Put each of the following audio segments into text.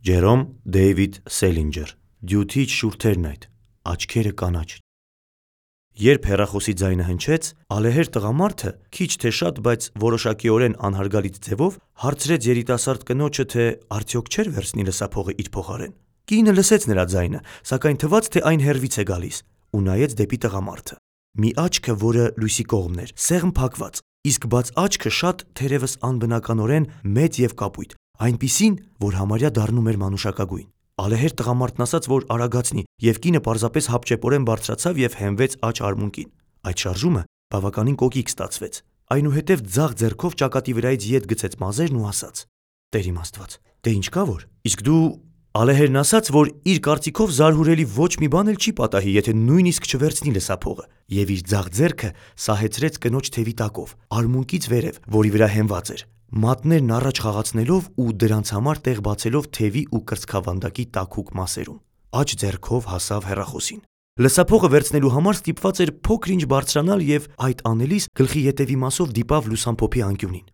Ջերոմ Դեյվիդ Սելինջեր Դյութիչ շուրթերն այդ, աչքերը կանաչ։ Երբ հեռախոսի ձայնը հնչեց, ալեհեր տղամարդը քիչ թե շատ, բայց որոշակիորեն անհարգալից ձևով հարցրեց երիտասարդ կնոջը, թե արդյոք չէր վերցնի լսափողը իր փոխարեն։ Կինը լսեց նրա ձայնը, սակայն թվաց, թե այն հեռվից է գալիս, ու նայեց դեպի տղամարդը։ Մի աչքը, որը լույսի կողմն էր, սեղմ փակված, իսկ բաց աչքը շատ թերևս անբնականորեն մեծ եւ կապույտ, այնպիսին, որ համարյա դառնում էր մանուշակագույն։ Ալեհեր տղամարդն ասաց, որ արագացնի, եւ կինը պարզապես հապճեպորեն բարձրացավ եւ հենվեց աջ արմունկին։ Այդ շարժումը բավականին կոկիկ ստացվեց։ Այնուհետև ձախ ձեռքով ճակատի վրայից ետ գցեց մազերն ու ասաց. «Տեր իմ Աստված, դե ինչ կա որ։ Իսկ դու…» Ալեհերն ասաց, որ իր կարծիքով զարհուրելի ոչ մի բան էլ չի պատահի, եթե նույնիսկ չվերցնի լսափողը, եւ իր ձախ ձեռքը սահեցրեց կնոջ թևի տակով, արմունկից վերև, որի վրա հենված էր, մատներն առաջ խաղացնելով ու դրանց համար տեղ բացելով թևի ու կրծքավանդակի տաքուկ մասերում։ Աջ ձեռքով հասավ հեռախոսին։ Լսափողը վերցնելու համար ստիպված էր փոքր-ինչ բարձրանալ եւ այդ անելիս գլխի ետևի մասով դիպավ լուսամփոփի անկյունին։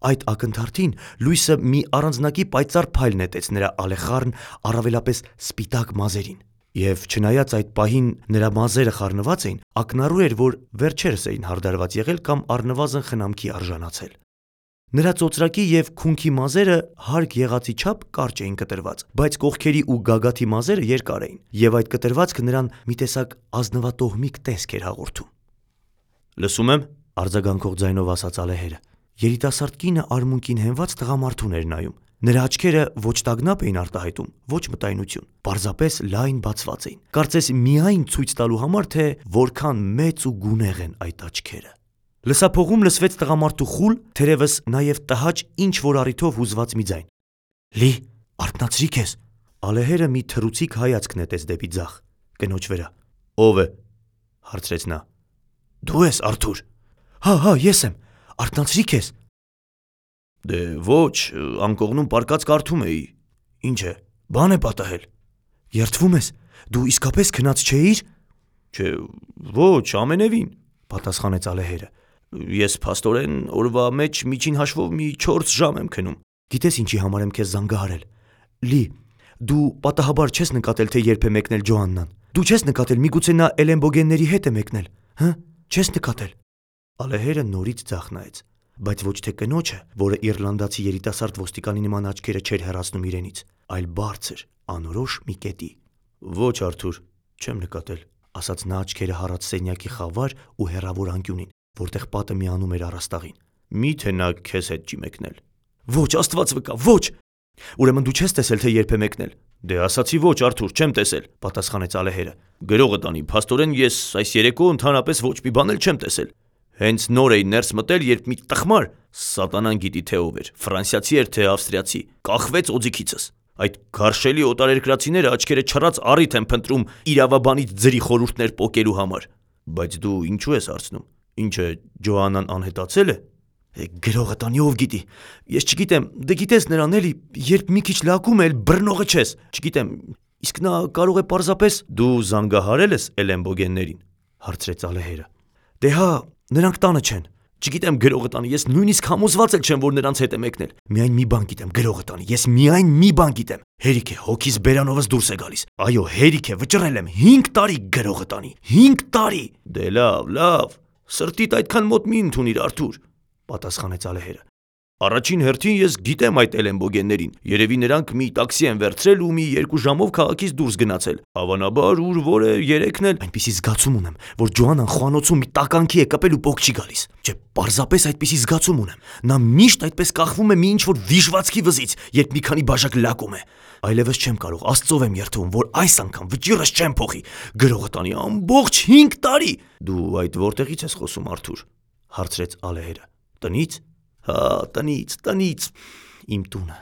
Այդ ակնթարթին լույսը մի առանձնակի պայծառ փայլ նետեց նրա ալեխառն, առավելապես սպիտակ մազերին։ Եվ չնայած այդ պահին նրա մազերը խառնված էին, ակնառու էր, որ վերջերս էին հարդարված եղել կամ առնվազն խնամքի արժանացել։ Նրա ծոծրակի եւ քունքի մազերը հարկ եղածի չափ կարճ էին կտրված, բայց կողքերի ու գագաթի մազերը երկար էին, եւ այդ կտրվածքը նրան մի տեսակ ազնվատոհմիկ տեսք էր հաղորդում։ «Լսում եմ», արձագանքող ձայնով ասաց ալեհերը։ Երիտասարդ կինը արմունկին հենված տղամարդուն էր նայում։ Նրա աչքերը ոչ տագնապ էին արտահայտում, ոչ մտայնություն, պարզապես լայն բացված էին, կարծես միայն ցույց տալու համար, թե որքան մեծ ու գունեղ են այդ աչքերը։ Լսափողում լսվեց տղամարդու խուլ, թերևս նաև տհաճ ինչ-որ առիթով հուզված մի ձայն։ «Լի, արթնացրի քեզ»։ Ալեհերը մի թռուցիկ հայացք նետեց դեպի ձախ, կնոջ վրա։ «Ո՞վ է», հարցրեց նա։ «Դու ես, Արթուր»։ Հա, ես եմ, արթնացրի քեզ։ «Դե ոչ, անկողնում պառկած կարդում էի։ Ինչ է, բան է պատահել»։ «Երդվում ես, դու իսկապես քնած չէիր»։ «Չէ, ոչ, ամենևին», պատասխանեց ալեհերը։ «Ես փաստորեն օրվա մեջ միջին հաշվով մի 4 ժամ եմ քնում»։ «Գիտես ինչի համար եմ քեզ զանգահարել։ Լի, դու պատահաբար չես նկատել, թե երբ է մեկնել Ջոաննան։ Դու չես նկատել, միգուցե նա Էլենբոգենների հետ է մեկնել, հը, չես նկատել»։ Ալեհերը նորից ձախ նայեց, բայց ոչ թե կնոջը, որը իռլանդացի երիտասարդ ոստիկանի նման աչքերը չէր հեռացնում իրենից, այլ բարձր, անորոշ մի կետի։ «Ոչ, Արթուր, չեմ նկատել», ասաց նա աչքերը հառած սենյակի խավար ու հեռավոր անկյունին, որտեղ պատը միանում էր առաստաղին։ «Մի՞թե նա քեզ հետ չի մեկնել»։ «Ոչ, Աստված վկա, ոչ»։ «Ուրեմն դու չես տեսել, թե երբ է մեկնել»։ «Դե ասացի ոչ, Արթուր, չեմ տեսել», պատասխանեց ալեհերը։ «Գրողը տանի, փաստորեն ես այս երեկո ընդհանրապես ոչ մի բան էլ չեմ տեսել։ Հենց նոր էի ներս մտել, երբ մի տխմար, սատանան գիտի թե ով էր, ֆրանսիացի էր թե ավստրիացի, կախվեց օձիքիցս։ Այդ գարշելի օտարերկրացիները աչքերը չռած առիթ են փնտրում իրավաբանից ձրի խորհուրդներ պոկելու համար։ Բայց դու ինչու ես հարցնում։ Ինչը Ջոաննան անհետացել է։ Գրողը տանի, ով գիտի։ Ես չգիտեմ, դե գիտես նրան էլի, երբ մի քիչ լակում է, բռնողը չես։ Չգիտեմ, իսկ նա կարող է պարզապես… Դու զանգահարել ես Էլենբոգեններին, հարցրեց ալեհերը։ Դե հա, նրանք տանը չեն։ Չգիտեմ, գրողը տանի, ես նույնիսկ համոզված էլ չեմ, որ նրանց հետ է մեկնել։ Միայն մի բան գիտեմ, գրողը տանի, ես միայն մի բան գիտեմ։ Հերիք է, հոգիս բերանովս դուրս է գալիս։ Այո, հերիք է, վճռել եմ, 5 տարի գրողը տանի, 5 տարի։ Դե լավ, սրտիդ այդքան մոտ մի ընդունիր, Արթուր, պատասխանեց ալեհերը։ Առաջին հերթին ես գիտեմ այդ Էլենբոգեններին, երևի նրանք մի տաքսի են վերցրել ու մի 2 ժամով քաղաքից դուրս գնացել։ Հավանաբար ուր որ է երեքն էլ… Այնպիսի զգացում ունեմ, որ Ջոաննան խոհանոցում մի տականքի է կպել ու պոկ չի գալիս։ Չէ, պարզապես այդպիսի զգացում ունեմ։ Նա միշտ այդպես կախվում է մի ինչ-որ վիժվածքի վզից, երբ մի քանի բաժակ լակում է։ Այլևս չեմ կարող, Աստծով եմ երդվում, որ այս անգամ վճիռս չեմ փոխի։ Գրողը տանի ամբողջ 5 տարի։ Դու այդ որտեղից ես խոսում, Արթուր, հարցրեց ալեհերը։ Տնից։ Հա, տնից, իմ տունը,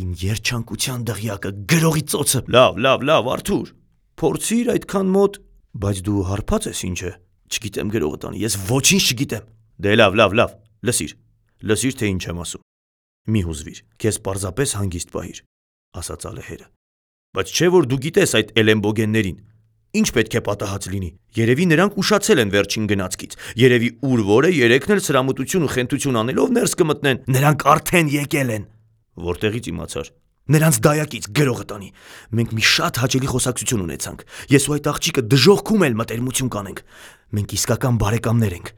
իմ երջանկության դղյակը, գրողի ծոցը։ Լավ, Արթուր, փորձիր այդքան մոտ… Բայց դու հարբած ես, ինչ է։ Չգիտեմ, գրողը տանի, ես ոչինչ չգիտեմ։ Դե լավ, լսիր, թե ինչ եմ ասում։ Մի հուզվիր, քեզ պարզապես հանգիստ պահիր, ասաց ալեհերը։ Բայց չէ որ դու գիտես այդ Էլենբոգեններին։ Ինչ պետք է պատահած լինի։ Երևի նրանք ուշացել են վերջին գնացքից։ Երևի ուր որ է երեքն էլ սրամտություն ու խենթություն անելով ներս կմտնեն։ Նրանք արդեն եկել են։ Որտեղից իմացար։ Նրանց դայակից գրողը տանի։ Մենք մի շատ հաճելի խոսակցություն ունեցանք։ Ես ու այդ աղջիկը դժոխքում էլ մտերմություն կանենք։ Մենք իսկական բարեկամներ ենք։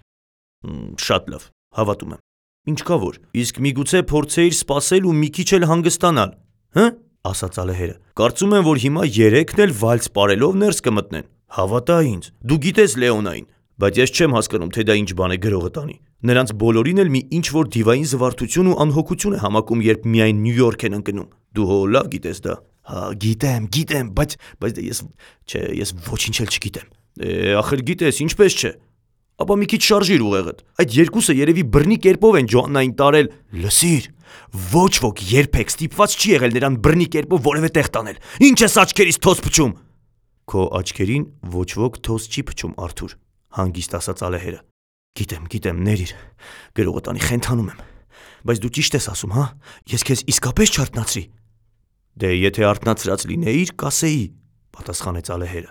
Շատ լավ, հավատում եմ։ Ինչ կա որ։ Իսկ միգուցե փորձեիր սպասել ու մի քիչ էլ հանգստանալ, հը՞, ասաց ալեհերը։ Կարծում եմ, որ հիմա երեքն էլ վալս պարելով ներս կմտնեն։ Հավատա ինձ, դու գիտես Լեոնային, բայց ես չեմ հասկանում, թե դա ինչ բան է գրողը տանի։ Նրանց բոլորին էլ մի ինչ-որ դիվային զվարթություն ու անհոգություն է համակում, երբ միայն Նյու Յորք են ընկնում։ Դու հո լավ գիտես դա։ Հա, գիտեմ, բայց ես ոչինչ էլ չգիտեմ։ Ախր գիտես, ինչպես չէ։ Ապա մի քիչ շարժիր ուղեղդ։ Այդ երկուսը երևի բռնի կերպով են Ջոաննային տարել։ Լսիր, ոչ ոք երբեք ստիպված չի եղել նրան բռնի կերպով որևէ տեղ տանել։ Ինչ ես աչքերից թոս փչում։ Քո աչքերին ոչ ոք թոս չի փչում, Արթուր, հանգիստ ասաց ալեհերը։ Գիտեմ, ներիր։ Գրողը տանի խենթանում եմ։ Բայց դու ճիշտ ես ասում, հա։ Ես քեզ իսկապես չարթնացրի։ Դե եթե արթնացրած լինեիր, կասեի, պատասխանեց ալեհերը։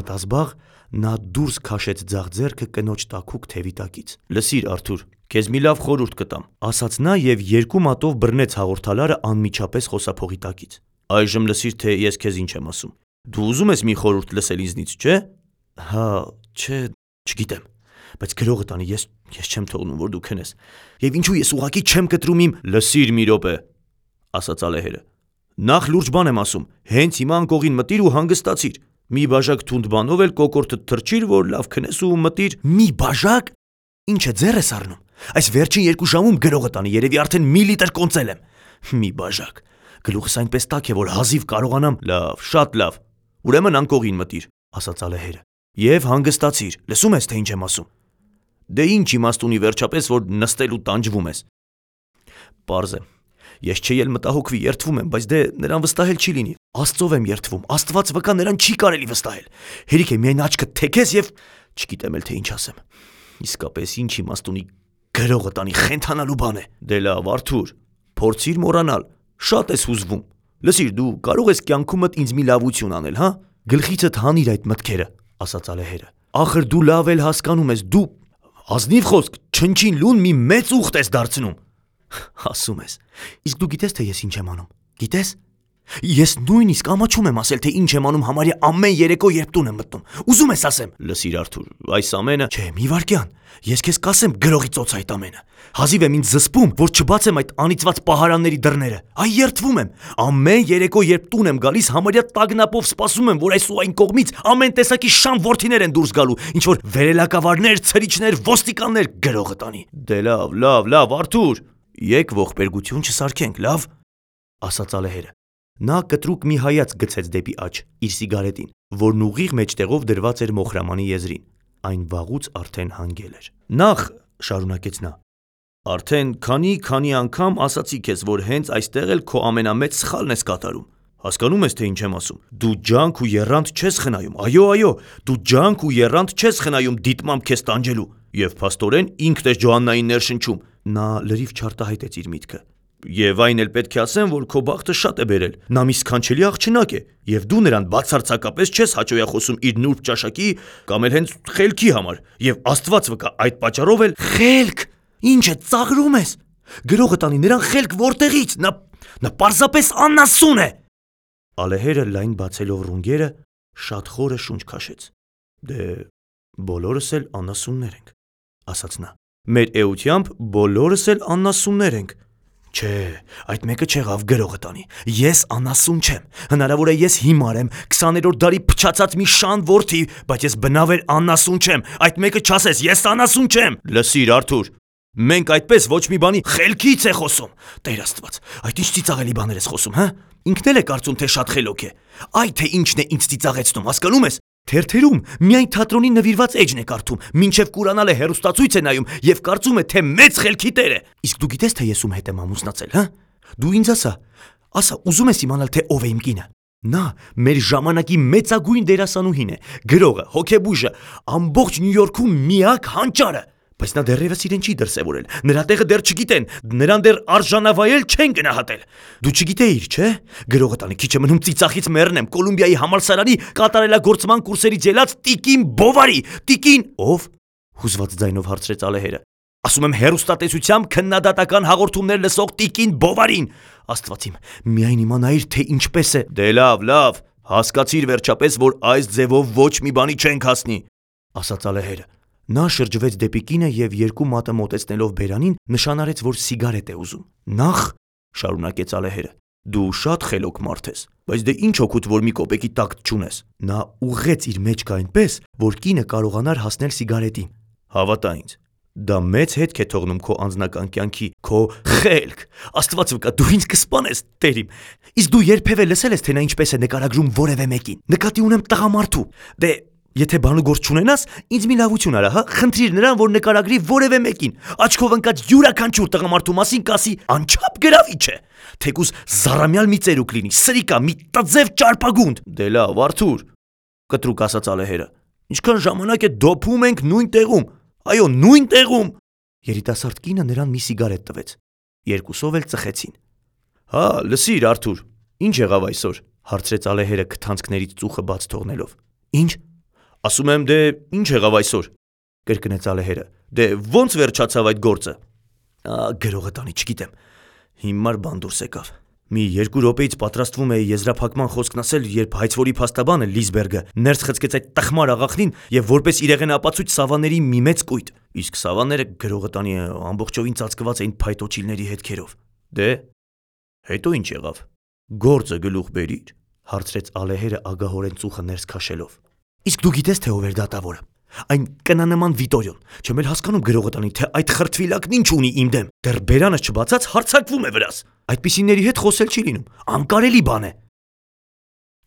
Մտազբաղ նա դուրս քաշեց ձախ ձեռքը կնոջ տաքուկ թևի տակից։ Լսիր, Արթուր, քեզ մի լավ խորհուրդ կտամ, ասաց նա եւ երկու մատով բռնեց հաղորդալարը անմիջապես խոսափողի տակից։ Այժմ լսիր, թե ես քեզ ինչ եմ ասում։ Դու ուզում ես մի խորհուրդ լսել ինձնից, չէ՞։ Հա, չէ, չգիտեմ, բայց գրողը տանի ես չեմ թողնում, որ դու քնես։ Եվ ինչու ես ուղակի չեմ կտրում իմ։ Լսիր մի րոպե, ասաց ալեհերը։ Նախ լուրջ բան եմ ասում, հենց հիմա անկողին մտիր ու հանգստացիր։ Մի բաժակ թունդ բանով էլ կոկորտդ թրջիր, որ լավ քնես ու մտիր։ Մի բաժակ։ Ինչը ձեռ ես առնում։ Այս վերջին 2 ժամում գրողը տանի երևի արդեն մի լիտր կոնծել եմ։ Մի բաժակ։ Գլուխս այնպես տաք է, որ հազիվ կարողանամ։ Լավ, շատ լավ։ Ուրեմն անկողին մտիր, ասաց ալեհերը։ Եվ հանգստացիր, լսում ես, թե ինչ եմ ասում։ Դե ինչ իմաստ ունի վերջապես, որ նստել ու տանջվում ես։ Պարզ է։ Ես չի էլ մտահոգվի, երդվում եմ, բայց դե նրան վստահել չի լինի։ Աստծով եմ երդվում, Աստված վկա նրան չի կարելի վստահել։ Հերիք է միայն աչքդ թեքես եւ չգիտեմ էլ թե ինչ ասեմ։ Իսկապես ինչ իմաստ ունի գրողը տանի խենթանալու բան է։ Դե լավ, Արթուր, փորձիր մոռանալ։ Շատ ես հուզվում։ Լսիր, դու կարող ես կյանքումդ ինձ մի լավություն անել, հա։ Գլխիցդ հանիր այդ մտքերը, ասաց ալեհերը։ Ախր դու լավ էլ հասկանում ես, դու ազնիվ խոսք, չնչին լուն մի մեծ ուխտ ես դարձնում։ Ասում ես։ Իսկ դու գիտես թե ես ինչ եմ անում։ Գիտես։ Ես նույնիսկ ամաչում եմ ասել, թե ինչ եմ անում համարյա ամեն երեկո, երբ տուն եմ մտնում։ Ուզում ես ասեմ։ Լսիր, Արթուր, այս ամենը։ Չէ, մի վարքյան։ Ես քեզ կասեմ գրողի ծոց այդ ամենը։ Հազիվ եմ ինձ զսպում, որ չբացեմ այդ անիծված պահարանների դռները։ Այ երդվում եմ։ Ամեն երեկո, երբ տուն եմ գալիս, համարյա տագնապով սպասում եմ, որ այս ու այն կողմից ամեն տեսակի շան որդիներ են դուրս գալու, ինչ որ վերելակավարներ, ցրիչներ, ոստիկաններ գրողը տանի։ Դե լավ, Արթուր։ Եկ ողբերգություն չսարքենք, լավ, ասաց ալեհերը։ Նա կտրուկ մի հայացք գցեց դեպի աջ, իր սիգարետին, որն ուղիղ մեջտեղով դրված էր մոխրամանի եզրին։ Այն վաղուց արդեն հանգել էր։ Նախ, շարունակեց նա, արդեն քանի անգամ ասացի քեզ, որ հենց այստեղ էլ քո ամենամեծ սխալն ես կատարում։ Հասկանում ես, թե ինչ եմ ասում։ Դու ջանք ու եռանդ չես խնայում։ Այո, դու ջանք ու եռանդ չես խնայում դիտմամբ քեզ տանջելու։ Եվ փաստորեն ինքն է Ջոաննային ներշնչում։ Նա լրիվ չարտահայտեց իր միտքը։ Եվ այն էլ պետք է ասեմ, որ քո բախտը շատ է բերել։ Նա մի սքանչելի աղջնակ է, եւ դու նրան բացարձակապես չես հաճոյախոսում իր նուրբ ճաշակի կամ էլ հենց խելքի համար։ Եվ Աստված վկա, այդ պատճառով էլ խելք։ Ինչ է ծաղրում ես։ Գրողը տանի նրան խելք որտեղից։ Նա պարզապես անասուն է։ Ալեհերը լայն բացելով ռունգերը շատ խորը շունչ քաշեց։ Դե բոլորս էլ անասուններ ենք, ասաց նա։ Մեր էությամբ բոլորս էլ անասուններ ենք։ Չէ, այդ մեկը չեղավ գրողը տանի։ Ես անասուն չեմ։ Հնարավոր է ես հիմար եմ, 20-րդ դարի փչացած մի շան որդի, բայց ես բնավ անասուն չեմ։ Այդ մեկը չասես, ես անասուն չեմ։ Լսիր, Արթուր, մենք այդպես ոչ մի բանի խելքից է խոսում։ Տեր Աստված, այդ ինչ ծիծաղելի բաներ ես խոսում, հա։ Ինքն էլ է կարծում, թե շատ խելոք է։ Այ թե ինչն է ինձ ծիծաղեցնում, հասկանում ես։ Թերթերում միայն թատրոնի նվիրված էջն է կարդում, մինչև կուրանալը հերոստացույց է նայում եւ կարծում է, թե մեծ խելքի տեր է։ Իսկ դու գիտես, թե ես ում հետ եմ ամուսնացել, հա։ Դու ինձ ասա, ուզում ես իմանալ, թե ով է իմ կինը։ Նա մեր ժամանակի մեծագույն դերասանուհին է, գրողը, հոգեբույժը, ամբողջ Նյու Յորքում միակ հանճարը։ Բայց նա դեռևս իրեն չի դրսևորել, նրա տեղը դեռ չգիտեն, նրան դեռ արժանավայել չեն գնահատել։ Դու չգիտեիր, չէ՞։ Գրողը տանի քիչ է մնում ծիծաղից մեռնեմ, Կոլումբիայի համալսարանի կատարելագործման կուրսերից ելած Տիկին Բովարի, Տիկին ով։ Հուզված ձայնով հարցրեց ալեհերը։ Ասում եմ հերոստատեսությամբ քննադատական հաղորդումներ լսող Տիկին Բովարին։ Աստված իմ, միայն իմանայիր, թե ինչպես է։ Դե լավ, հասկացիր վերջապես, որ այս ձևով ոչ մի բանի չենք հասնի, ասաց ալեհերը։ Նա շրջվեց դեպի կինը և երկու մատը մոտեցնելով բերանին նշանարեց, որ սիգարետ է ուզում։ Նախ, շարունակեց ալեհերը, դու շատ խելոք մարդ ես, բայց դե ինչ օգուտ, որ մի կոպեկի տակտ չունես։ Նա ուղղեց իր մեջքը այնպես, որ կինը կարողանար հասնել սիգարետին։ Հավատա ինձ, դա մեծ հետք է թողնում քո անձնական կյանքի, քո խելք։ Աստված վկա, դու ինձ կսպանես, Տեր իմ։ Իսկ դու երբևէ լսել ես, թե նա ինչպես է նկարագրում որևէ մեկին։ Նկատի ունեմ տղամարդու։ Դե եթե բանուգործ չունենաս, ինձ մի լավություն արա, հա, խնդրիր նրան, որ նկարագրի որևէ մեկին։ Աչքով ընկած յուրաքանչյուր տղամարդու մասին կասի անչափ գրավիչ է։ Թեկուզ զառամյալ մի ծերուկ լինի, սրիկա, մի տձև ճարպագունդ։ Դե լավ, Արթուր, կտրուկ ասաց ալեհերը։ Ինչքան ժամանակ է դոփում ենք նույն տեղում։ Այո, նույն տեղում։ Երիտասարդ կինը նրան մի սիգարետ տվեց։ Երկուսով էլ ծխեցին։ Հա, լսիր, Արթուր, ինչ եղավ այսօր, հարցրեց ալեհերը քթանցքներից ծուխը բաց թողնելով։ Ինչ։ Ասում եմ, դե ինչ եղավ այսօր, կրկնեց ալեհերը։ Դե ո՞նց վերջացավ այդ գործը։ Գրողը տանի, չգիտեմ։ Հիմար բան դուրս եկավ։ Մի 2 րոպեից պատրաստվում էի եզրափակման խոսքն ասել, երբ հայցվորի փաստաբանը Լիզբերգը ներս խցկեց այդ տխմար աղախնին եւ որպես իրեղեն ապացույց Սավաների մի մեծ կույտ։ Իսկ Սավաները գրողը տանի ամբողջովին ծածկված էին փայտոչիլների հետքերով։ Դե հետո ինչ եղավ։ Գործը գլուխ բերիր, հարցրեց ալեհերը ագահորեն ծուխը ներս քաշելով։ Իսկ դու գիտես, թե ով էր դատավորը։ Այն կնանման Վիտորիոն, չեմ էլ հասկանում գրողը տանի, թե այդ խրտվիլակն ինչ ունի իմ դեմ։ Դեռ բերանս չբացած հարձակվում է վրաս։ Այդպիսիների հետ խոսել չի լինում, անկարելի բան է։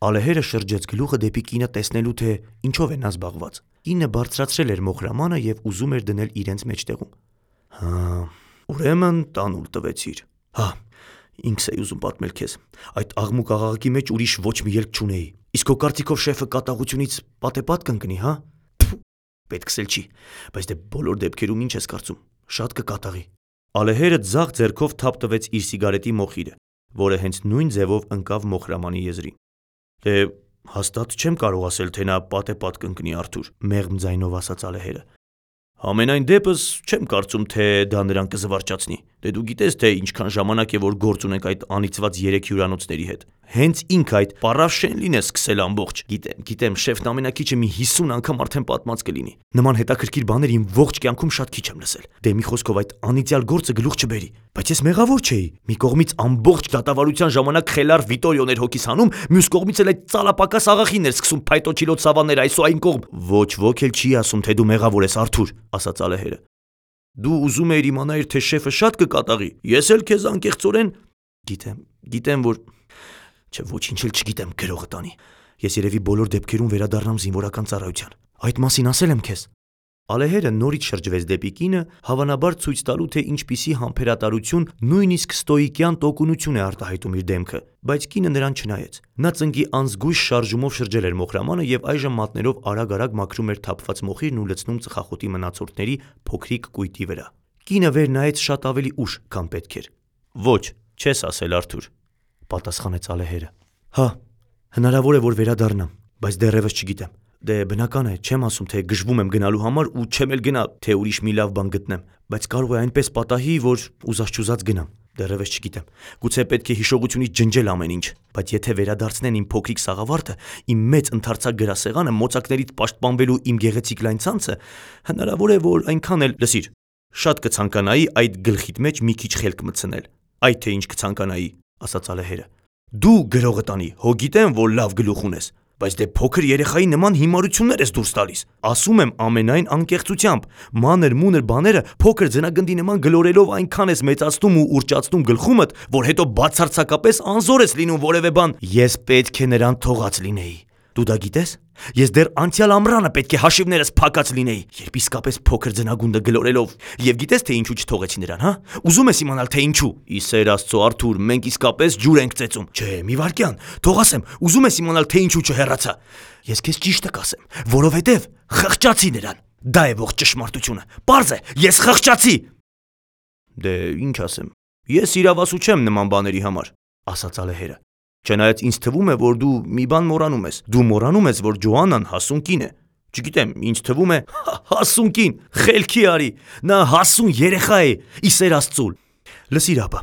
Ալեհերը շրջեց գլուխը դեպի կինը տեսնելու, թե ինչով է նա զբաղված։ Կինը բարձրացրել էր մոխրամանը եւ ուզում էր դնել իրենց մեջտեղում։ Հա, ուրեմն տանուլ տվեցիր։ Հա, ինքս էի ուզում պատմել քեզ։ Այդ աղմուկ աղաղակի մեջ ուրիշ ոչ մի ելք չունեի։ Իսկ քո կարծիքով շեֆը կատաղությունից պատեպատ կընկնի, հա։ Պետքս էլ չի, բայց դե բոլոր դեպքերում ինչ ես կարծում, շատ կկատաղի։ Ալեհերը ձախ ձեռքով թափ տվեց իր սիգարետի մոխիրը, որը հենց նույն ձևով ընկավ մոխրամանի եզրին։ Դե հաստատ չեմ կարող ասել, թե նա պատեպատ կընկնի, Արթուր, մեղմ ձայնով ասաց ալեհերը։ Համենայն դեպս չեմ կարծում, թե դա նրան կզվարճացնի։ Դե դու գիտես, թե ինչքան ժամանակ է, որ գործ ունենք այդ անիծված 3 հյուրանոցների հետ։ Հենց ինքը այդ պարավշենլին է սկսել ամբողջ։ Գիտեմ, շեֆն ամենակիչը մի 50 անգամ արդեն պատմած կլինի։ Նման հետաքրքիր բաներ իմ ողջ կյանքում շատ քիչ եմ լսել։ Դե մի խոսքով այդ անիծյալ գործը գլուխ չբերի։ Բայց ես մեղավոր չէի։ Մի կողմից ամբողջ դատավարության ժամանակ խելար Վիտորիոն էր հոգիս հանում, մյուս կողմից էլ այդ ծալապակաս աղախին էր սկսում փայտոչիլոց Սավաներ այս ու այն կողմ։ Ոչ ոք էլ չի ասում, թե դու մեղավոր ես, Արթուր, ասաց ալեհերը։ Դու ուզում էիր իմանալ, թե շեֆը շատ կկատաղի։ Ես էլ քեզ անկեղծորեն գիտեմ, որ Չէ, ոչինչ էլ չգիտեմ, գրողը տանի։ Ես երևի բոլոր դեպքերում վերադառնամ զինվորական ծառայության։ Այդ մասին ասել եմ քեզ։ Ալեհերը նորից շրջվեց դեպի կինը, հավանաբար ցույց տալու, թե ինչպիսի համբերատարություն, նույնիսկ ստոիկյան տոկունություն է արտահայտում իր դեմքը, բայց կինը նրան չնայեց։ Նա ծնկի անզգույշ շարժումով շրջել էր մոխրամանը եւ այժմ մատներով արագ-արագ մաքրում էր թափված մոխիրն ու լցնում ծխախոտի մնացորդների փոքրիկ կույտի վրա։ Կինը վեր նայեց շատ ավելի ուշ, քան պետք էր։ Ոչ, չես ասել, Արթուր, պատասխանեց ալեհերը։ Հա, հնարավոր է, որ վերադառնամ, բայց դեռևս չգիտեմ։ Դե բնական է, չեմ ասում, թե գժվում եմ գնալու համար ու չեմ էլ գնա, թե ուրիշ մի լավ բան գտնեմ, բայց կարող է այնպես պատահի, որ ուզած-չուզած գնամ։ Դեռևս չգիտեմ։ Գուցե պետք է հիշողությունից ջնջել ամեն ինչ, բայց եթե վերադարձնեն իմ փոքրիկ սաղավարտը, իմ մեծ ընդարձակ գրասեղանը, մոծակներից պաշտպանվելու իմ գեղեցիկ լայն ցանցը, հնարավոր է, որ այնքան էլ, լսիր, շատ կցանկանայի այդ գլխիդ մեջ մի քիչ խելք մտցնել։ Այդ թե ինչ կցանկանայի, ասաց ալեհերը։ Դու գրողը տանի, հո գիտեմ, որ լավ գլուխ ունես, բայց դե փոքր երեխայի նման հիմարություններ ես դուրս տալիս։ Ասում եմ ամենայն անկեղծությամբ, մանր-մունր բաները փոքր ձնագնդի նման գլորելով այնքան ես մեծացնում ու ուրճացնում գլխումդ, որ հետո բացարձակապես անզոր ես լինում որևէ բան։ Ես պետք է նրան թողած լինեի։ Դու դա գիտես։ Ես դեռ անցյալ ամռանը պետք է հաշիվներս փակած լինեի, երբ իսկապես փոքր ձնագունդը գլորելով։ Եվ գիտես, թե ինչու չթողեցի նրան, հա։ Ուզում ես իմանալ, թե ինչու։ Իսեր Աստծո, Արթուր, մենք իսկապես ջուր ենք ծեծում։ Չէ, մի վարքյան, թող ասեմ, ուզում ես իմանալ, թե ինչու չհեռացա։ Ես քեզ ճիշտը կասեմ, որովհետև խղճացի նրան։ Դա է ողջ ճշմարտությունը։ Պարզ է, ես խղճացի։ Դե ինչ ասեմ։ Ես իրավասու չեմ նման բաների համար, ասաց ալեհերը։ Չնայած ինձ թվում է, որ դու մի բան մոռանում ես։ Դու մոռանում ես, որ Ջոաննան հասուն կին է։ Չգիտեմ, ինձ թվում է, հասուն կին, խելքի արի, նա հասուն երեխա է, իսեր Աստծո։ Լսիր ապա,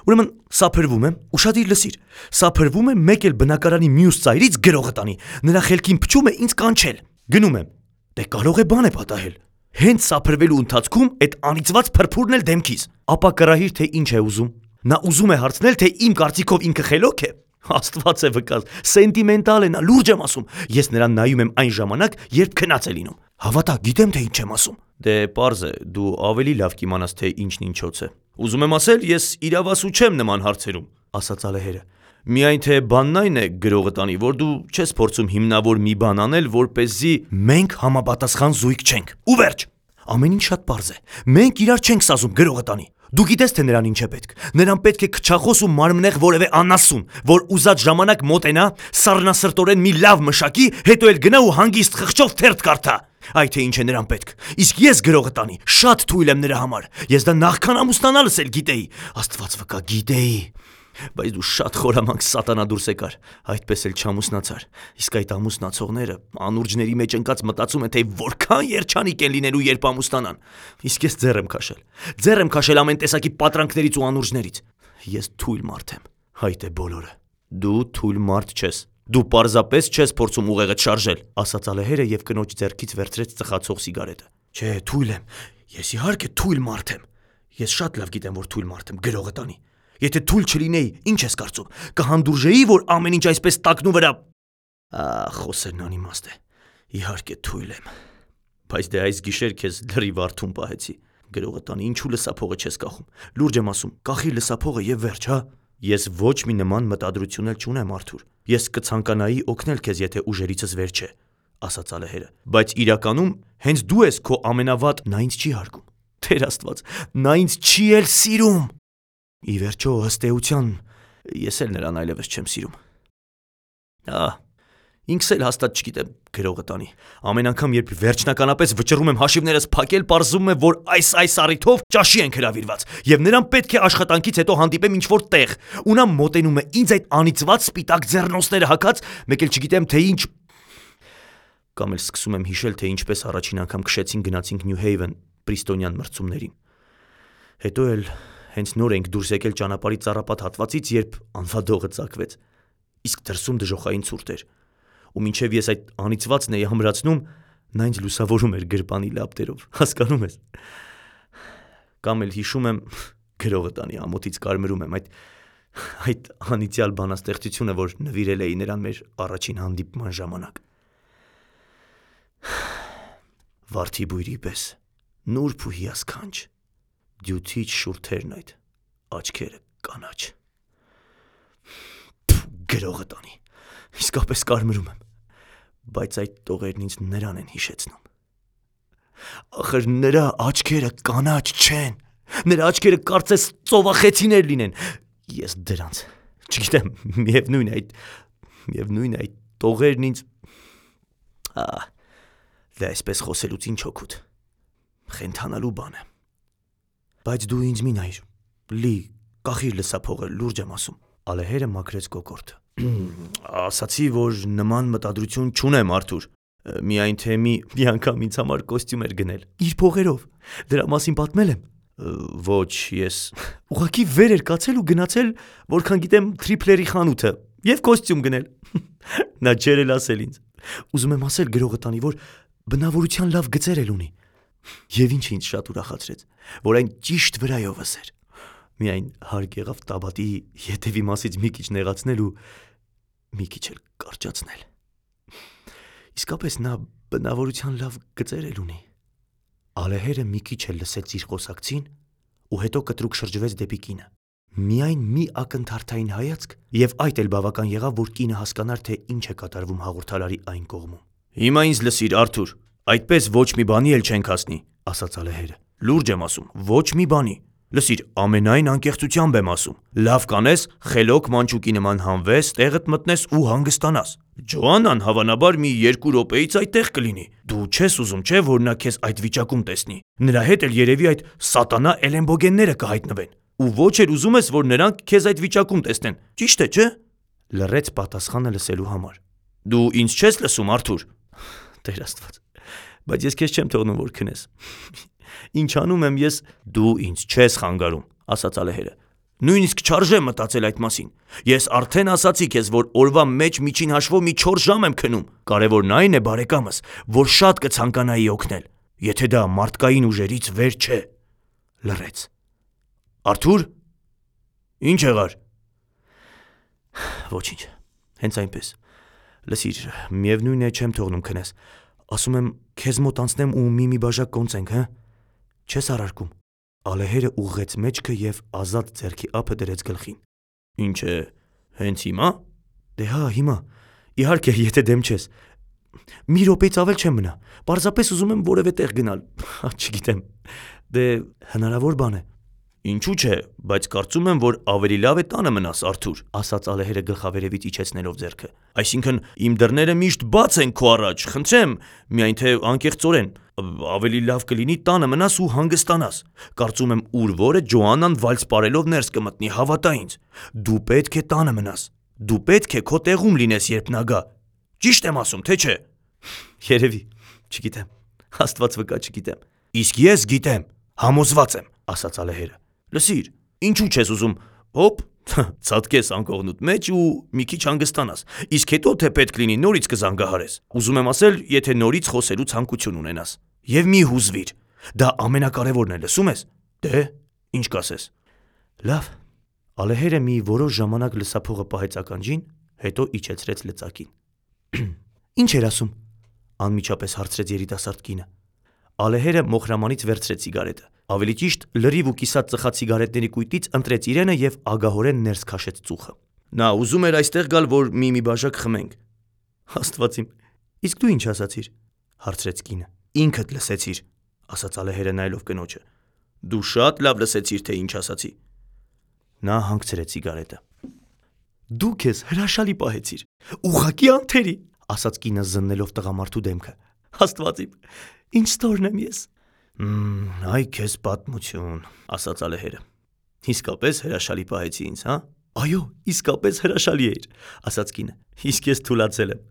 Ուրեմն սափրվում եմ, ուշադիր լսիր։ Սափրվում եմ մեկ էլ բնակարանի մյուս ծայրից գրողը տանի։ Նրա խելքին փչում է ինձ կանչել։ Գնում եմ։ Դե կարող է բան է պատահել։ Հենց սափրվելու ընթացքում այդ անիծված փրփուրն էլ դեմքիս։ Ապա կրահիր թե ինչ է ուզում։ Նա ուզում է հարցնել, թե իմ կարծիքով ինքը խելոք է։ Աստված է վկաս, սենտիմենտալ է նա, լուրջ եմ ասում։ Ես նրան նայում եմ այն ժամանակ, երբ քնած է լինում։ Հավատա, գիտեմ թե ինչ եմ ասում։ Դե պարզ է, դու ավելի լավ կիմանաս թե ինչն ինչոց է։ Ուզում եմ ասել, ես իրավասու չեմ նման հարցերում, ասաց ալեհերը։ Միայն թե բանն այն է գրողը տանի, որ դու չես փորձում հիմնավոր մի բան անել, որպեսզի մենք համապատասխան զույգ չենք։ Ու վերջ։ Ամեն ինչ շատ պարզ է։ Մենք իրար չենք սազում գրողը տանի։ Դու գիտես թե նրան ինչ է պետք։ Նրան պետք է քչախոս ու մարմնեղ որևէ անասուն, որ ուզած ժամանակ մոտենա, սառնասրտորեն մի լավ մշակի, հետո էլ գնա ու հանգիստ խղճով թերթ կարդա։ Այ թե ինչ է նրան պետք։ Իսկ ես գրողը տանի, շատ թույլ եմ նրա համար։ Ես դա նախքան ամուսնանալս էլ գիտեի։ Աստված վկա, գիտեի։ Բայց դու շատ խորամանկ սատանա դուրս եկար, այդպես էլ չամուսնացար։ Իսկ այդ ամուսնացողները անուրջների մեջ ընկած մտածում են, թե որքան երջանիկ են լինելու, երբ ամուսնանան։ Իսկ ես ձեռ եմ քաշել։ Ձեռ եմ քաշել ամեն տեսակի պատրանքներից ու անուրջներից։ Ես թույլ մարդ եմ։ Այդ է բոլորը։ Դու թույլ մարդ չես։ Դու պարզապես չես փորձում ուղեղդ շարժել, ասաց ալեհերը եւ կնոջ ձեռքից վերցրեց ծխացող սիգարետը։ Չէ, թույլ եմ։ Ես իհարկե թույլ մարդ եմ։ Ես շատ լավ գիտեմ, որ թույլ մարդ եմ, գրողը տանի։ Եթե թույլ չլինեի, ինչ ես կարծում, կհանդուրժեի, որ ամեն ինչ այսպես տակնու վրա։ Խոսերն անիմաստ է։ Իհարկե թույլ եմ։ Բայց դե այս գիշեր քեզ լրիվ արթուն պահեցի։ Գրողը տանի, ինչու լսափողը չես կախում։ Լուրջ եմ ասում, կախի լսափողը եւ վերջ, հա։ Ես ոչ մի նման մտադրություն էլ չունեմ, Արթուր։ Ես կցանկանայի օգնել քեզ, եթե ուժերիցս վեր չէ, ասաց ալեհերը։ Բայց իրականում հենց դու ես քո ամենավատ, նա ինձ չի հարգում։ Տեր Աստված, նա ինձ չի էլ սիրում։ Ի վերջո, ըստ էության, ես էլ նրան այլևս չեմ սիրում։ Ինքս էլ հաստատ չգիտեմ, գրողը տանի։ Ամեն անգամ, երբ վերջնականապես վճռում եմ հաշիվներս փակել, պարզվում է, որ այս առիթով ճաշի ենք հրավիրված, եւ նրան պետք է աշխատանքից հետո հանդիպեմ ինչ-որ տեղ, ու նա մոտենում է ինձ այդ անիծված սպիտակ ձեռնոցները հագած, մեկ էլ չգիտեմ թե ինչ։ Կամ էլ սկսում եմ հիշել, թե ինչպես առաջին անգամ քշեցին գնացինք Նյու Հեյվեն Պրիստոնյան մրցումներին։ Հետո էլ հենց նոր ենք դուրս եկել ճանապարհի ծառապատ հատվածից, երբ անվադողը ծակվեց։ Իսկ դրսում դժոխային ցուրտ էր։ Ու մինչև ես այդ անիծվածն էի համրացնում, նա ինձ լուսավորում էր գրպանի լապտերով, հասկանում ես։ Կամ էլ հիշում եմ, գրողը տանի ամոթից կարմրում եմ այդ անիծյալ բանաստեղծությունը, որ նվիրել էի նրան մեր առաջին հանդիպման ժամանակ։ Վարդի բույրի պես, նուրբ ու հիասքանչ, դյութիչ շուրթերն այդ, աչքերը կանաչ։ Գրողը տանի, իսկապես կարմրում եմ, բայց այդ տողերն ինձ նրան են հիշեցնում։ Ախր նրա աչքերը կանաչ չեն, նրա աչքերը կարծես ծովախեցիներ լինեն։ Ես դրանց, չգիտեմ, միևնույն է այդ տողերն ինձ։ Դե այսպես խոսելուց ինչ օգուտ, խենթանալու բան է։ Բայց դու ինձ մի նայր, կախիր լսափողը, լուրջ եմ ասում։ Ալեհերը մաքրեց կոկորդը։ Ասացի, որ նման մտադրություն չունեմ, Արթուր։ Միայն թե մի անգամ ինձ համար կոստյում էր գնել։ Իր փողերով։ Դրա մասին պատմել եմ։ Ոչ, ես ուղղակի վեր էր կացել ու գնացել, որքան գիտեմ, Թրիփլերի խանութը եւ կոստյում գնել։ Նա ջեր էլ ասել ինձ։ Ուզում եմ ասել գրողը տանի, որ բնավորության լավ գծեր էլ ունի։ Եվ ինչ ինձ շատ ուրախացրեց, որ այն ճիշտ վրայովս էր։ Միայն հարկ եղավ տաբատի ետևի մասից մի քիչ նեղացնել ու մի քիչ էլ կարճացնել։ Իսկապես նա բնավորության լավ գծեր էլ ունի։ Ալեհերը մի քիչ էլ լսեց իր խոսակցին ու հետո կտրուկ շրջվեց դեպի կինը։ Միայն մի ակնթարթային հայացք եւ այդ էլ բավական եղավ, որ կինը հասկանար, թե ինչ է կատարվում հաղորդարարի այն կողմում։ Հիմա ինձ լսիր, Արթուր, այդպես ոչ մի բանի էլ չենք հասնի, ասաց ալեհերը։ Լուրջ եմ ասում, ոչ մի բանի։ Լսիր, ամենայն անկեղծությամբ եմ ասում։ Լավ կանես, խելոք մանչուկի նման հանվես, տեղդ մտնես ու հանգստանաս։ Ջոաննան հավանաբար մի 2 րոպեից այդտեղ կլինի։ Դու չես ուզում, չէ, որ նա քեզ այդ վիճակում տեսնի։ Նրա հետ էլ երևի այդ սատանա էլեմբոգենները կհայտնվեն։ Ու ոչ էլ ուզում ես, որ նրանք քեզ այդ վիճակում տեսնեն։ Ճիշտ է, չէ։ Լռեց պատասխանը լսելու համար։ Դու ինձ չես լսում, Արթուր։ Տեր Աստված, բայց ես քեզ չեմ թողնում, որ քնես։ Ինչ անում եմ ես, դու ինձ չես խանգարում, ասաց ալեհերը։ Նույնիսկ չարժե մտածել այդ մասին։ Ես արդեն ասացի քեզ, որ օրվա մեջ միջին հաշվով մի 4 ժամ եմ քնում։ Կարևորն այն է, բարեկամս, որ շատ կցանկանայի օգնել, եթե դա մարդկային ուժերից վեր չէ։ Լռեց։ Արթուր, ինչ եղար։ Ոչինչ, հենց այնպես։ Լսիր, միևնույն է չեմ թողնում քնես։ Ասում եմ, քեզ մոտ անցնեմ ու մի բաժակ կոնծենք, հա։ Չես առարկում։ Ալեհերը ուղղեց մեջքը եւ ազատ ձեռքի ափը դրեց գլխին։ Ինչ է, հենց հիմա։ Դե հա, հիմա։ Իհարկե, եթե դեմ չես։ Մի րոպեից ավել չեմ մնա։ Պարզապես ուզում եմ որևէ տեղ գնալ։ Չգիտեմ։ Դե հնարավոր բան է։ Ինչու՞ չէ, բայց կարծում եմ, որ ավելի լավ է տանը մնաս, Արթուր, ասաց Ալեհերը գլխավերևից իջեցնելով ձեռքը։ Այսինքն իմ դռները միշտ բաց են քո առաջ, խնդրեմ, միայն թե անկեղծորեն, ավելի լավ կլինի տանը մնաս ու հանգստանաս։ Կարծում եմ ուր որը Ջոաննան վալս պարելով ներս կմտնի, հավատա ինձ։ Դու պետք է տանը մնաս։ Դու պետք է քո տեղում լինես, երբ նա գա։ Ճիշտ եմ ասում, թե չէ։ Երևի, չգիտեմ։ Աստված վկա, չգիտեմ։ Իսկ ես գիտեմ, համոզված եմ, ասաց Ալեհերը։ Լսիր, ինչու չես ուզում, հոպ, ցածկես անկողնուտ մեջ ու մի քիչ հանգստանաս։ Իսկ հետո թե պետք լինի նորից կզանգահարես։ Ուզում եմ ասել, եթե նորից խոսելու ցանկություն ունենաս։ Եվ մի հուզվիր։ Դա ամենակարևորն է, լսում ես։ Դե, ինչ կասես։ Լավ։ Ալեհերը մի որոշ ժամանակ լսափողը պահեց ականջին, հետո իջեցրեց լծակին։ Ինչ էր ասում։ Անմիջապես հարցրեց երիտասարդ կինը։ Ալեհերը մոխրամանից վերցրեց սիգարետը։ Ավելի ճիշտ, լրիվ ու կիսած ծխած սիգարետների կույտից ընտրեց իրենը եւ ագահորեն ներս քաշեց ծուխը։ Նա ուզում էր այստեղ գալ, որ մի բաժակ խմենք։ Աստված իմ, իսկ դու ինչ ասացիր, հարցրեց կինը։ Ինքդ լսեցիր, ասաց Ալեհերը նայելով կնոջը։ Դու շատ լավ լսեցիր, թե ինչ ասացի։ Նա հանգցրեց սիգարետը։ Դու քեզ հրաշալի պահեցիր։ Ուղղակի անթերի, ասաց կինը զննելով տղամարդու դեմքը։ Աստված իմ, ինչ ստորն եմ ես։ Այ քեզ պատմություն, ասաց Ալեհերը։ Իսկապես հրաշալի պահեցի ինձ, հա։ Այո, իսկապես հրաշալի էր, ասաց կինը։ Իսկ ես թուլացել եմ։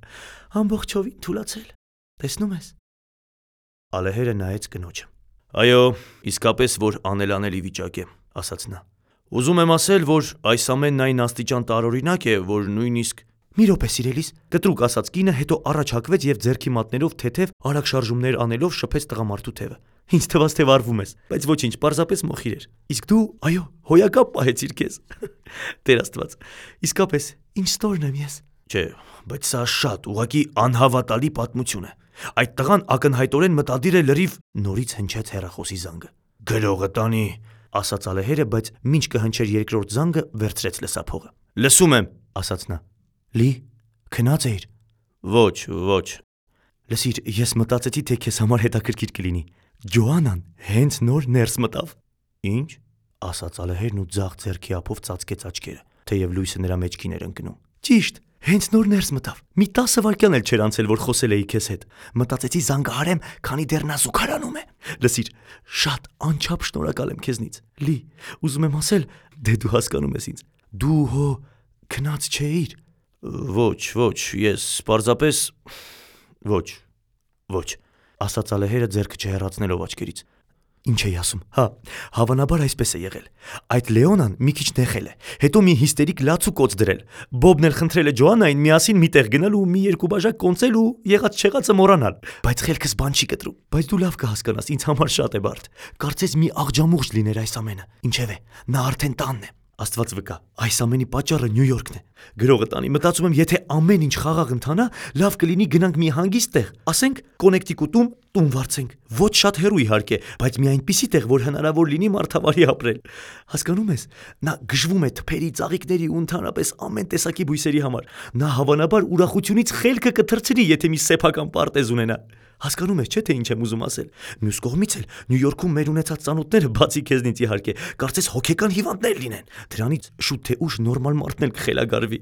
Ամբողջովին թուլացել։ Տեսնում ես։ Ալեհերը նայեց կնոջը։ Այո, իսկապես որ անելանելի վիճակ է, ասաց նա։ Ուզում եմ ասել, որ այս ամենն այն աստիճան տարօրինակ է, որ նույնիսկ Մի րոպե սիրելիս, կտրուկ ասաց կինը, հետո առաջ հակվեց եւ ձեռքի մատներով թեթև արագ շարժումներ անելով շփեց տղամարդու թևը։ Ինչ թվաց թե վարվում ես, բայց ոչինչ, պարզապես մոխիր էր։ Իսկ դու, այո, հոյակապ պահեցիր քեզ։ Տեր Աստված, իսկապես, ինչ ստորն եմ ես։ Չէ, բայց սա շատ ուղղակի անհավատալի պատմություն է։ Այդ տղան ակնհայտորեն մտադիր է լրիվ նորից հնչեց հեռախոսի զանգը։ Գրողը տանի, ասաց Ալեհերը, բայց մինչ կհնչեր երկրորդ զանգը, վերցրեց լսափողը։ Լսում եմ, ասաց նա։ Լի, քնած էիր։ Ոչ։ Լսիր, ես մտածեցի, թե քեզ համար հետաքրքիր կլինի։ Ջոաննան հենց նոր ներս մտավ։ Ինչ, ասաց Ալեհերն ու ձախ ձեռքի ափով ծածկեց աչքերը, թեև լույսը նրա մեջքին էր ընկնում։ Ճիշտ, հենց նոր ներս մտավ։ Մի 10 վայրկյան էլ չէր անցել, որ խոսել էի քեզ հետ։ Մտածեցի զանգահարեմ, քանի դեռ նա զուգարանում է։ Լսիր, շատ անչափ շնորհակալ եմ քեզնից։ Լի, ուզում եմ ասել, դե դու հասկանում ես ինձ։ Դու հո քնած չէիր։ Ոչ, ես պարզապես ոչ, ասաց Ալեհերը ձեռքը չհեռացնելով աչքերից։ Ինչ էի ասում։ Հա, հավանաբար այսպես է եղել։ Այդ Լեոնան մի քիչ նեղել է, հետո մի հիստերիկ լաց ու կոծ դրել։ Բոբն էլ խնդրել է Ջոաննային միասին մի տեղ գնալ ու մի երկու բաժակ կոնծել ու եղած չեղածը մոռանալ։ Բայց խելքս բան չի կտրում։ Բայց դու լավ կհասկանաս, ինձ համար շատ է բարդ։ Կարծես մի աղջամուղջ լիներ այս ամենը։ Ինչևէ, նա արդեն տանն է։ Աստված վկա, այս ամենի պատճառը Նյու Յորքն է։ Գրողը տանի, մտածում եմ, եթե ամեն ինչ խաղաղ ընթանա, լավ կլինի գնանք մի հանգիստ տեղ, ասենք Կոնեկտիկուտում տուն վարձենք։ Ոչ շատ հեռու իհարկե, բայց մի այնպիսի տեղ, որ հնարավոր լինի մարդավարի ապրել։ Հասկանում ես, նա գժվում է թփերի, ծաղիկների ու ընդհանրապես ամեն տեսակի բույսերի համար։ Նա հավանաբար ուրախությունից խելքը կթռցրի, եթե մի սեփական պարտեզ ունենա։ Հասկանում ես, չէ՞ թե ինչ եմ ուզում ասել։ Մյուս կողմից էլ Նյու Յորքում մեր ունեցած ծանոթները, բացի քեզնից իհարկե, կարծես հոգեկան հիվանդներ լինեն։ Դրանից շուտ թե ուշ նորմալ մարդն էլ կխելագարվի։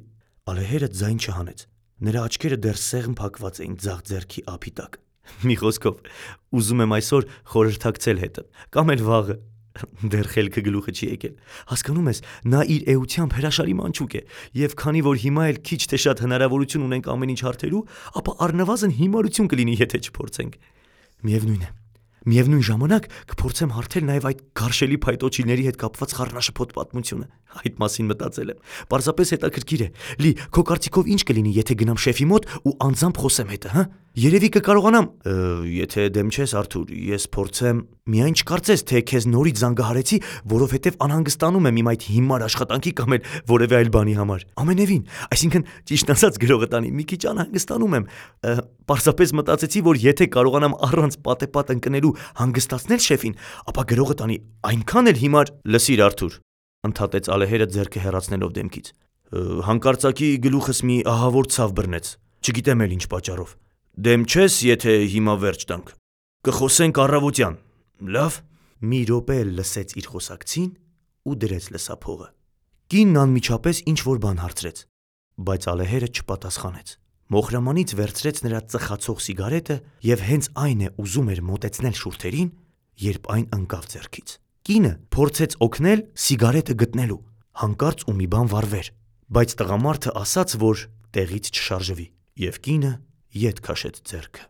Ալեհերը ձայն չհանեց։ Նրա աչքերը դեռ սեղմ փակված էին ձախ ձեռքի ափի տակ։ Մի խոսքով, ուզում եմ այսօր խորհրդակցել հետը, կամ էլ վաղը։ Դեռ խելքը գլուխը չի եկել։ Հասկանում ես, նա իր էությամբ հրաշալի մանչուկ է, եւ քանի որ հիմա էլ քիչ թե շատ հնարավորություն ունենք ամեն ինչ հարթելու, ապա առնվազն հիմարություն կլինի, եթե չփորձենք։ Միևնույն է, Միևնույն ժամանակ կփորձեմ հարթել նաև այդ գարշելի փայտոջիլների հետ կապված խառնաշփոթ պատմությունը։ Այդ մասին մտածել եմ։ Պարզապես հետաքրքիր է։ Լի, քո կարծիքով ինչ կլինի, եթե գնամ շեֆի մոտ ու անձամբ խոսեմ հետը, հա? Երևի կկարողանամ։ Եթե դեմ չես, Արթուր, ես փորձեմ։ Միայն չկարծես, թե քեզ նորից զանգահարեցի, որովհետև անհանգստանում եմ իմ այդ հիմար աշխատանքի կամ էլ որևէ այլ բանի համար։ Ամենևին, այսինքն ճիշտ ասած գրողը տանի, մի քիչ անհանգստանում եմ։ Պարզապես մտածեցի, որ եթե կարողանամ առանց պատեպատ ընկնելու հանգստացնել շեֆին, ապա գրողը տանի այնքան էլ հիմար։ Լսիր, Արթուր, ընդհատեց Ալեհերը ձեռքը հեռացնելով դեմքից։ Հանկարծակի գլուխս մի ահավոր ցավ բռնեց։ Չգիտեմ էլ ինչ պատճառով։ Դեմ չես, եթե հիմա վերջ տանք։ Կխոսենք առավոտյան։ Լավ։ Մի րոպե լսեց իր խոսակցին ու դրեց լսափողը։ Կինն անմիջապես ինչ-որ բան հարցրեց, բայց Ալեհերը չպատասխանեց։ Մոխրամանից վերցրեց նրա ծխացող սիգարետը եւ հենց այն է ուզում էր մոտեցնել շուրթերին, երբ այն ընկավ ձեռքից։ Կինը փորձեց օգնել սիգարետը գտնելու, հանկարծ ու մի բան վառվեր, բայց տղամարդը ասաց, որ տեղից չշարժվի, եւ կինը ետ քաշեց ձեռքը։